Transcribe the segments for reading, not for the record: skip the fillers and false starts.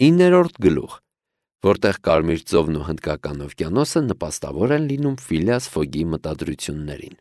9-րդ գլուխ, որտեղ Կարմիր ծովն ու Հնդկական օվկիանոսը նպաստավոր են լինում Ֆիլիաս Ֆոգի մտադրություններին։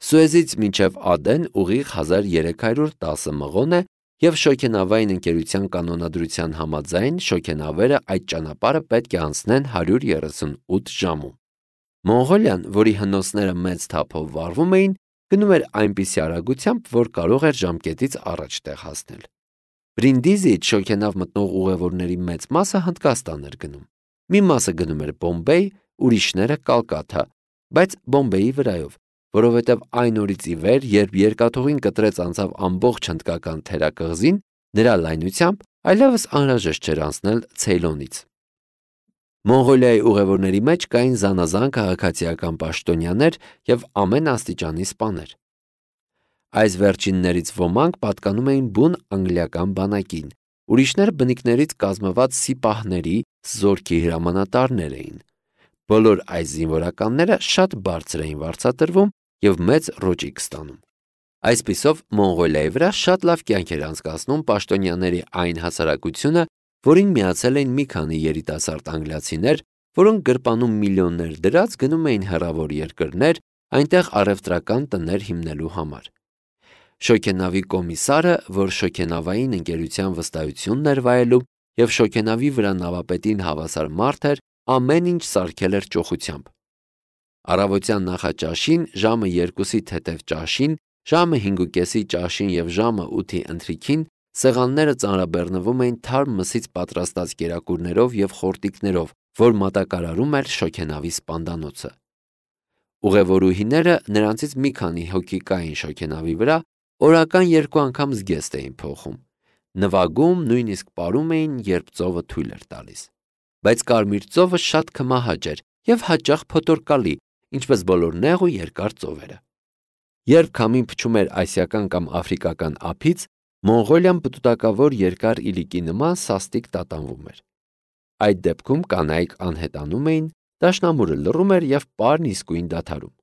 Սուեզից մինչև Ադեն ուղիղ 1310 մղոն է և շոգենավային ընկերության կանոնադրության համաձայն շոգենավերը այդ ճանապարհը պետք է անցնեն 138 ժամում։ Մոնղոլիան, որի հնոցները մեծ թափով վառվում էին, գնում էր այնպիսի արագությամբ, որ կարող էր ժամկետից առաջ տեղ հասնել։ Բրինդիզիից շոգենավ մտնող ուղևորների մեծ մասը Հնդկաստան էր գնում։ Մի մասը գնում էր Բոմբեյ, ուրիշները Կալկաթա, բայց Բոմբեյի վրայով, որովհետև այն օրից ի վեր, երբ երկաթուղին կտրեց անցավ ամբողջ հնդկական թերակղզին, նրա լայնությամբ այլևս անհրաժեշտ չէր անցնել Ցեյլոնից։ Մոնղոլիայի ուղևորների մեջ կային զանազան քաղաքացիական պաշտոնյաներ և ամեն աստիճանի սպաներ։ Այս վերջիններից ոմանք պատկանում էին բուն անգլիական բանակին, ուրիշները բնիկներից կազմված սիպահների զորքի հրամանատարներ էին։ Բոլոր այս զինվորականները շատ բարձր էին վարձատրվում և մեծ ռոճիկ ստանում։ Այսպիսով Մոնղոլիայի վրա շատ լավ կյանք էր անցկացնում պաշտոնյաների այն հասարակությունը, որին միացել էին մի քանի երիտասարդ անգլիացիներ, որոնք գրպանում միլիոններ դրած գնում էին հեռավոր երկրներ, այնտեղ առևտրական տներ հիմնելու համար։ Շոգենավի կոմիսարը, որ շոգենավային ընկերության վստահությունն էր վայելում և շոգենավի վրա նավապետին հավասար մարդ էր, ամեն ինչ սարքել էր ճոխությամբ։ Առավոտյան նախաճաշին, ժամը 2-ի թեթև ճաշին, ժամը 5:30 ճաշին և ժամը 8-ի ընթրիքին սեղանները ծանրաբեռնվում էին թարմ մսից պատրաստած կերակուրներով և խորտիկներով, որ մատակարարում էր շոգենավի սպանդանոցը։ Ուղևորուհիները, նրանցից մի քանի հոգի կային շոգենավի վրա, օրական 2 անգամ զգեստ էին փոխում, նվագում, նույնիսկ պարում էին, երբ ծովը թույլ էր տալիս։ Բայց Կարմիր ծովը շատ քմահաճ էր և հաճախ փոթորկալի, ինչպես բոլոր նեղ ու երկար ծովերը։ Երբ քամին փչում էր ասիական կամ աֆրիկական ափից, Մոնղոլիան պտուտակավոր երկար իլիկի նման սաստիկ տատանվում էր։ Այդ դեպքում կանայք անհետանում էին, դաշնամուրը լռում էր և պարն իսկույն դադարում։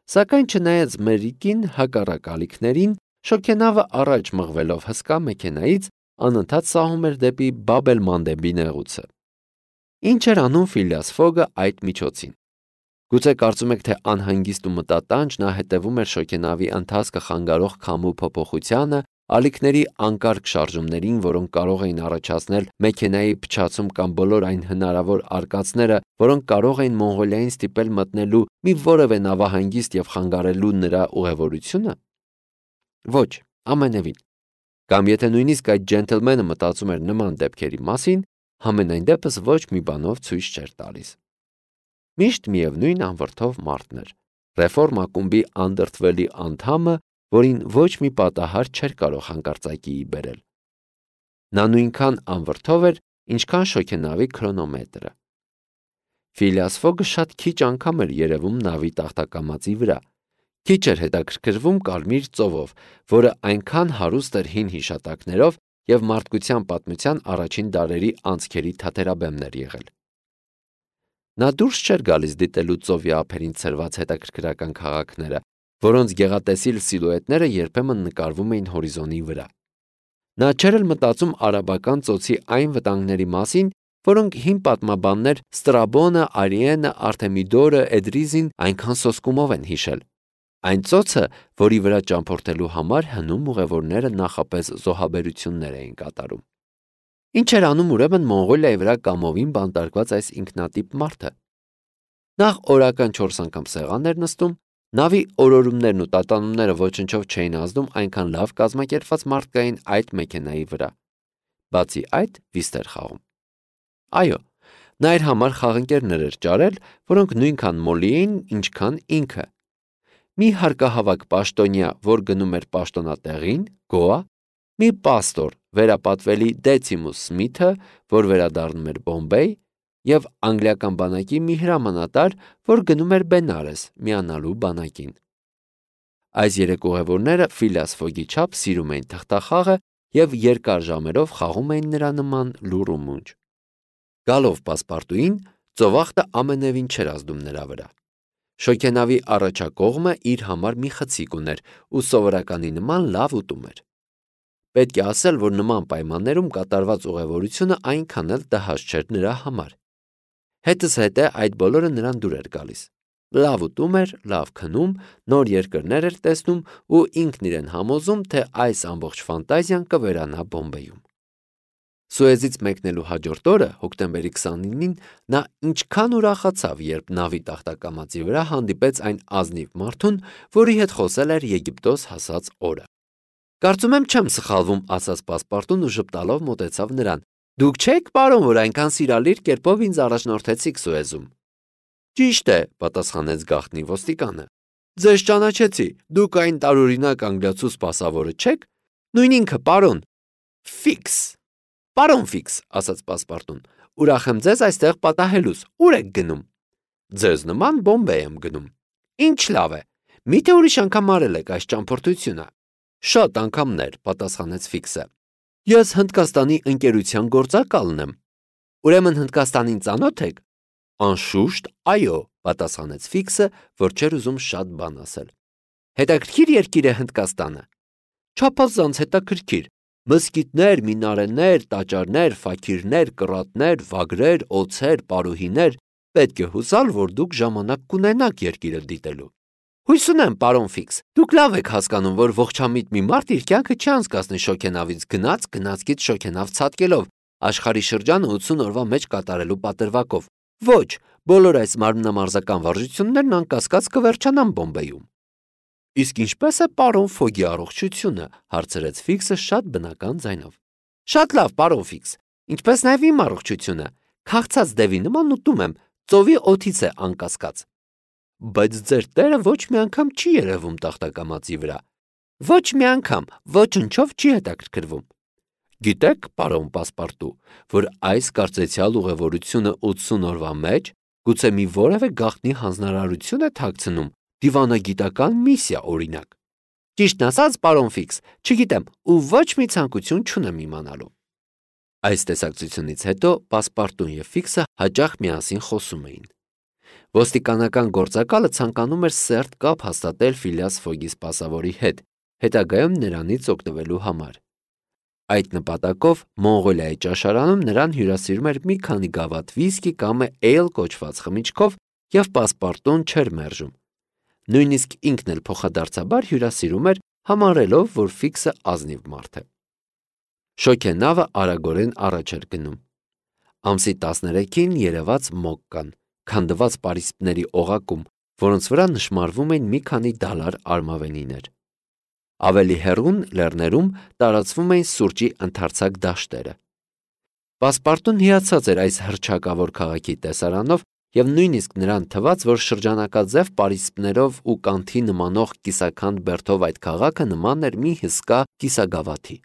Սակայն չնայած մերիկին հակառակ ալիքներին, շոգենավը առաջ մղվելով հսկա մեքենայից անընդհատ սահում էր դեպի Բաբ էլ-Մանդեբի նեղուցը։ Ինչ էր անում Ֆիլիաս Ֆոգը այդ միջոցին։ Գուցե կարծում եք, թե անհանգիստ ու մտատանջ նա հետևում էր շոգենավի ընթացքը խանգարող քամու փոփոխությանը, ալիքների անկարգ շարժումներին, որոնք կարող էին առաջացնել մեքենայի փչացում կամ բոլոր այն հնարավոր արկածները, որոնք կարող էին Մոնղոլիային ստիպել մտնելու մի որևէ նավահանգիստ և խանգարելու նրա ուղևորությունը։ Ոչ, ամենևին։ Կամ եթե նույնիսկ այդ ջենթլմենը մտածում էր նման դեպքերի մասին, համենայն դեպս ոչ մի բանով ցույց չէր տալիս։ Միշտ միևնույն անվրդով մարդն էր, ռեֆորմ ակումբի անդրդվելի անդամը, որին ոչ մի պատահար չէր կարող հանկարծակիի բերել։ Նա նույնքան անվրդով էր, ինչքան շոգենավի քրոնոմետրը։ Ֆիլիաս Ֆոգը շատ քիչ անգամ էր երևում նավի տախտակամածի վրա, քիչ էր հետաքրքրվում Կարմիր ծովով, որը այնքան հարուստ էր հին հիշատակներով և մարդկության պատմության առաջին դարերի անցքերի թատերաբեմն էր եղել։ Նա դուրս չէր գալիս դիտելու ծովի ափերին ցրված հետաքրքրական քաղաքները, որոնց գեղատեսիլ սիլուետները երբեմն նկարվում էին հորիզոնի վրա։ Նա չէր էլ մտածում արաբական ծոցի այն վտանգների մասին, որոնք հին պատմաբաններ Ստրաբոնը, Արիենը, Արտեմիդորը, Էդրիզին այնքան սոսկումով են հիշել։ Այն ծոցը, որի վրա ճամփորդելու համար հնում ուղևորները նախապես զոհաբերություններ էին կատարում։ Ինչ էր անում ուրեմն Մոնղոլիայի վրա կամովին բանտարկված այս ինքնատիպ մարդը։ Նախ օրական 4 անգամ սեղան էր նստում, նավի օրորումներն ու տատանումները ոչնչով չէին ազդում այնքան լավ կազմակերպված մարդկային այդ մեքենայի վրա։ Բացի այդ, վիստ էր խաղում։ Այո, նա իր համար խաղընկերներ էր ճարել, որոնք նույնքան մոլի էին, ինչքան ինքը։ Մի հարկահավաք պաշտոնյա, որ գնում էր պաշտոնատեղին, Գոա, մի պաստոր, վերապատվելի Դեցիմուս Սմիթը, որ վերադառնում էր Բոմբեյ, և անգլիական բանակի մի հրամանատար, որ գնում էր Բենարես միանալու բանակին։ Այս 3 ուղևորները Ֆիլիաս Ֆոգի չափ սիրում էին թղթախաղը և երկար ժամերով խաղում էին նրա նման լուռ ու մունջ։ Գալով պասպարտուին, ծովախտը ամենևին չէր ազդում նրա վրա։ Շոգենավի առաջակողմը իր համար մի խցիկ ուներ ու սովորականի նման լավ ուտում էր։ Պետք է ասել, որ նման պայմաններում կատարված ուղևորությունը այնքան էլ տհաճ չէր նրա համար։ Հետզհետե այդ բոլորը նրան դուր էր գալիս։ Լավ ուտում էր, լավ քնում, նոր երկրներ էր տեսնում ու ինքն իրեն համոզում, թե այս ամբողջ ֆանտազիան կվերանա Բոմբեյում։ Սուեզից մեկնելու հաջորդ օրը, հոկտեմբերի 29-ին, նա ինչքան ուրախացավ, երբ նավի տախտակամածի վրա հանդիպեց այն ազնիվ մարդուն, որի հետ խոսել էր Եգիպտոս հասած օրը։ Կարծում եմ չեմ սխալվում, ասաց պասպարտուն ու ժպտալով մոտեցավ նրան։ Դուք չեք, պարոն, որ այնքան սիրալիր կերպով ինձ առաջնորդեցիք Սուեզում։ Ճիշտ է, պատասխանեց գաղտնի ոստիկանը։ Ձեզ ճանաչեցի, դուք այն տարօրինակ անգլիացու սպասավորը չեք։ Նույն ինքը, պարոն։ Ֆիքս։ Պարոն Ֆիքս, ասաց պասպարտուն, ուրախ եմ ձեզ այստեղ պատահելուց, ուր եք գնում։ Ձեզ նման Բոմբեյ եմ գնում։ Ինչ լավ է։ Միթե ուրիշ անգամ արել եք այս ճամփորդությունը։ Շատ անգամներ, պատասխանեց Ֆիքսը։ Ես Հնդկաստանի ընկերության գործակալն եմ։ Ուրեմն Հնդկաստանին ծանոթ եք։ Անշուշտ, այո, պատասխանեց Ֆիքսը, որ չէր ուզում շատ բան ասել։ Հետաքրքիր երկիր է Հնդկաստանը։ Չափազանց հետաքրքիր։ Մզկիթներ, մինարեներ, տաճարներ, ֆաքիրներ, կռատներ, վագրեր, օձեր, պարուհիներ։ Պետք է հուսալ, որ դուք ժամանակ կունենաք երկիրը դիտելու։ Հույս ունեմ, պարոն Ֆիքս, դուք լավ եք հասկանում, որ ողջամիտ մի մարդ իր կյանքը չի անցկացնի շոգենավից գնացքից շոգենավ ցատկելով, աշխարհի շրջանը 80 օրվա մեջ կատարելու պատրվակով։ Ոչ, բոլոր այս մարմնամարզական վարժություններն անկասկած կվերջանան Բոմբեյում։ Իսկ ինչպես է պարոն Ֆոգի առողջությունը, հարցրեց Ֆիքսը շատ բնական ձայնով։ Շատ լավ, պարոն Ֆիքս, ինչպես նաև իմ առողջությունը, քաղցած դևի նման ուտում եմ, ծովի օդից է անկասկած։ Բայց ձեր տերը ոչ մի անգամ չի երևում տախտակամածի վրա։ Ոչ մի անգամ, ոչնչով չի հետաքրքրվում։ Գիտեք, պարոն Պասպարտու, որ այս կարծեցյալ ուղևորությունը 80 օրվա մեջ գուցե մի որևէ գաղտնի հանձնարարություն է թաքցնում, դիվանագիտական միսիա օրինակ։ Ճիշտն ասած, պարոն Ֆիքս, չգիտեմ ու ոչ մի ցանկություն չունեմ իմանալու։ Այս տեսակցությունից հետո Պասպարտուն եւ Ֆիքսը հաճախ միասին խոսում էին։ Ոստիկանական գործակալը ցանկանում էր սերտ կապ հաստատել Ֆիլիաս Ֆոգի սպասավորի հետ, հետագայում նրանից օգտվելու համար։ Այդ նպատակով Մոնղոլիայի ճաշարանում նրան հյուրասիրում էր մի քանի գավաթ վիսկի կամ էյլ կոչված խմիչքով եւ Պասպարտուն չէր մերժում։ Նույնիսկ ինքն էլ փոխադարձաբար հյուրասիրում էր, համարելով, որ Ֆիքսը ազնիվ մարդ է։ Շոգենավը արագորեն առաջ էր գնում։ Ամսի 13-ին երևաց Մոկկան, քանդված պարիսպների օղակում, որոնց վրա նշմարվում էին մի քանի դալար արմավենիներ։ Ավելի հեռուն լեռներում տարածվում էին սուրճի ընդարձակ դաշտերը։ Պասպարտուն հիացած էր այս հռչակավոր քաղաքի տեսարանով եւ նույնիսկ նրան թվաց, որ շրջանակաձև պարիսպներով ու կանթի նմանող կիսաքանդ բերդով այդ քաղաքը նման էր մի հսկա կիսագավաթի։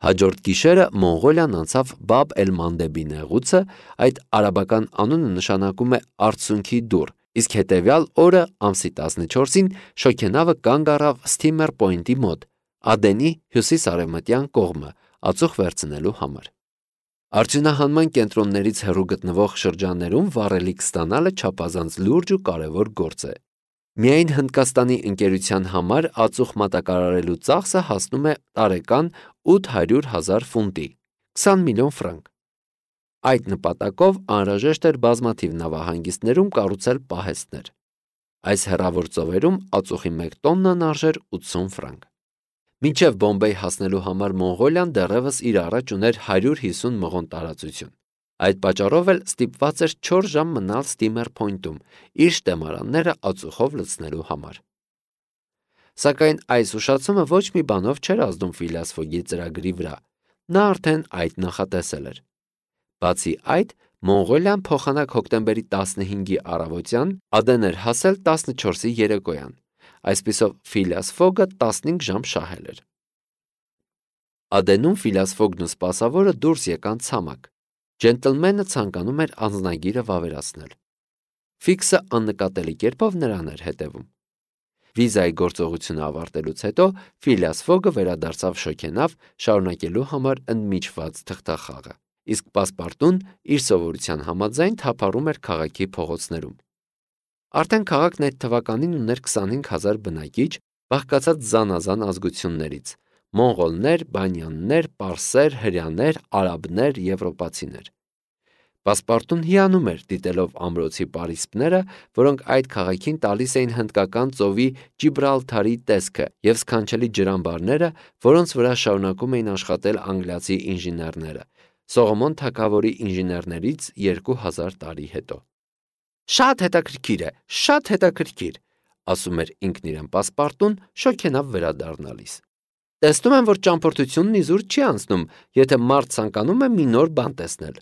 Հաջորդ գիշերը Մոնղոլիան անցավ Բաբ էլ-Մանդեբի նեղուցը, այդ արաբական անունը նշանակում է արցունքի դուռ, իսկ հետևյալ օրը ամսի 14-ին շոգենավը կանգ առավ Ստիմեր Պոինտի մոտ, Ադենի հյուսիս-արևմտյան կողմը, ածուխ վերցնելու համար։ Արդյունահանման կենտրոններից հեռու գտնվող շրջաններում վառելիք ստանալը չափազանց լուրջ ու կարևոր գործ է։ Միայն Հնդկաստանի ընկերության համար ածուխ մատակարարելու ծախսը հասնում է տարեկան 800,000 ֆունտի, 20 միլիոն ֆրանկ։ Այդ նպատակով անհրաժեշտ էր բազմաթիվ նավահանգիստներում կառուցել պահեստներ։ Այս հեռավոր ծովերում ածուխի 1 տոննան արժեր 80 ֆրանկ։ Մինչև Բոմբեյ հասնելու համար Մոնղոլիան դեռևս իր առաջ ուներ 150 մղոն տարածություն։ Այդ պատճառով էլ ստիպված էր 4 ժամ մնալ Ստիմեր Պոինտում, իր շտեմարանները ածուխով լցնելու համար։ Սակայն այս ուշացումը ոչ մի բանով չէր ազդում Ֆիլիաս Ֆոգի ծրագրի վրա։ Նա արդեն այդ նախատեսել էր։ Բացի այդ, Մոնղոլիան փոխանակ հոկտեմբերի 15-ի առավոտյան Ադեն էր հասել 14-ի երեկոյան։ Այսպիսով Ֆիլիաս Ֆոգը 15 ժամ շահել էր։ Ադենում Ֆիլիաս Ֆոգն ու սպասավորը դուրս եկան ցամաք։ Ջենտլմենը ցանկանում էր անձնագիրը վավերացնել։ Ֆիքսը աննկատելի կերպով նրան էր հետևում։ Վիզայի գործողությունը ավարտելուց հետո Ֆիլիաս Ֆոգը վերադարձավ շոգենավ, շարունակելու համար ընդմիջված թղթախաղը, իսկ Պասպարտուն իր սովորության համաձայն թափառում էր քաղաքի փողոցներում։ Արդեն քաղաքն այդ թվականին ուներ 25,000 բնակիչ, բաղկացած զանազան ազգություններից՝ մոնղոլներ, բանյաններ, պարսեր, հրեաներ, արաբներ, եվրոպացիներ։ Պասպարտուն հիանում էր դիտելով ամրոցի պարիսպները, որոնք այդ քաղաքին տալիս էին հնդկական ծովի Ջիբրալթարի տեսքը և սքանչելի ջրամբարները, որոնց վրա շարունակում էին աշխատել անգլիացի ինժեներները, Սողոմոն թագավորի ինժեներներից 2000 տարի հետո։ Շատ հետաքրքիր է, շատ հետաքրքիր, ասում էր ինքն իրեն Պասպարտուն, շոգենավ վերադառնալիս։ Տեսնում եմ, որ ճամփորդությունն իզուր չի անցնում, եթե մարդ ցանկանում է մի նոր բան տեսնել։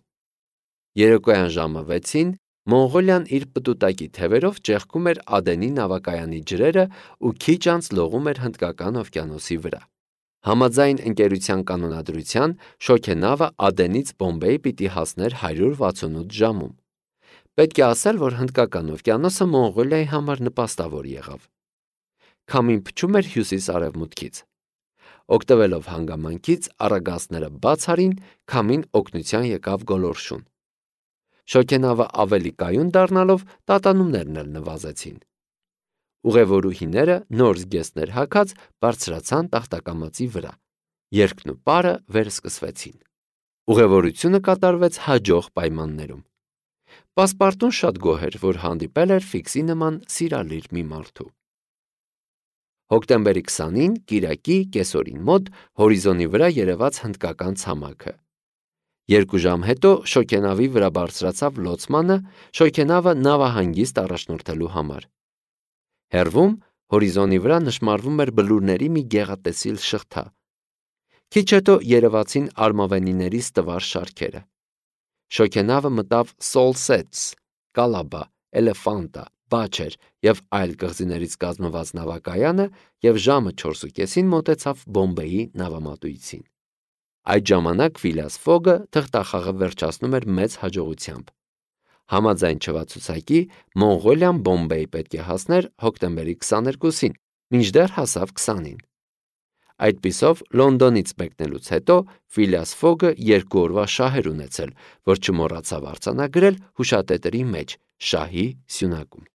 Երեկոյան ժամը 6-ին Մոնղոլիան իր պտուտակի թևերով ճեղքում էր Ադենի նավակայանի ջրերը ու քիչ անց լողում էր Հնդկական օվկիանոսի վրա։ Համաձայն ընկերության կանոնադրության շոգենավը Ադենից Բոմբեյ պիտի հասներ 168 ժամում։ Պետք է ասել, որ Հնդկական օվկիանոսը Մոնղոլիայի համար նպաստավոր եղավ։ Քամին փչում էր հյուսիս-արևմուտքից։ Օգտվելով հանգամանքից առագաստները բաց արին, քամին օգնության եկավ գոլորշուն։ Շոգենավը ավելի կայուն դառնալով տատանումներն էլ նվազեցին։ Ուղևորուհիները նոր զգեստներ հագած բարձրացան տախտակամածի վրա։ Երգն ու պարը վերսկսվեցին։ Ուղևորությունը կատարվեց հաջող պայմաններում։ Պասպարտուն շատ գոհ էր, որ հանդիպել էր Ֆիքսի նման սիրալիր մի մարդու։ Հոկտեմբերի 20-ին կիրակի կեսօրին մոտ հորիզոնի վրա երևաց հնդկական ցամաքը։ 2 ժամ հետո շոգենավի վրա բարձրացավ լոցմանը, շոգենավը նավահանգիստ առաջնորդելու համար։ Հեռվում հորիզոնի վրա նշմարվում էր բլուրների մի գեղատեսիլ շղթա։ Քիչ հետո երևացին արմավենիների ստվար շարքերը։ Շոգենավը մտավ Սոլսեթս, Կալաբա, Էլեֆանտա, Բաչեր և այլ կղզիներից կազմված նավակայանը և ժամը 4:30-ին մոտեցավ Բոմբեյի նավամատույցին։ Այդ ժամանակ Ֆիլիաս Ֆոգը թղթախաղը վերջացնում էր մեծ հաջողությամբ։ Համաձայն չվացուցակի Մոնղոլիան Բոմբեյ պետք է հասներ հոկտեմբերի 22-ին, մինչդեռ հասավ 20-ին։ Այդպիսով Լոնդոնից մեկնելուց հետո Ֆիլիաս Ֆոգը 2 օրվա շահ էր ունեցել, որ չմոռացավ արձանագրել հուշատետրի մեջ՝ շահի սյունակում։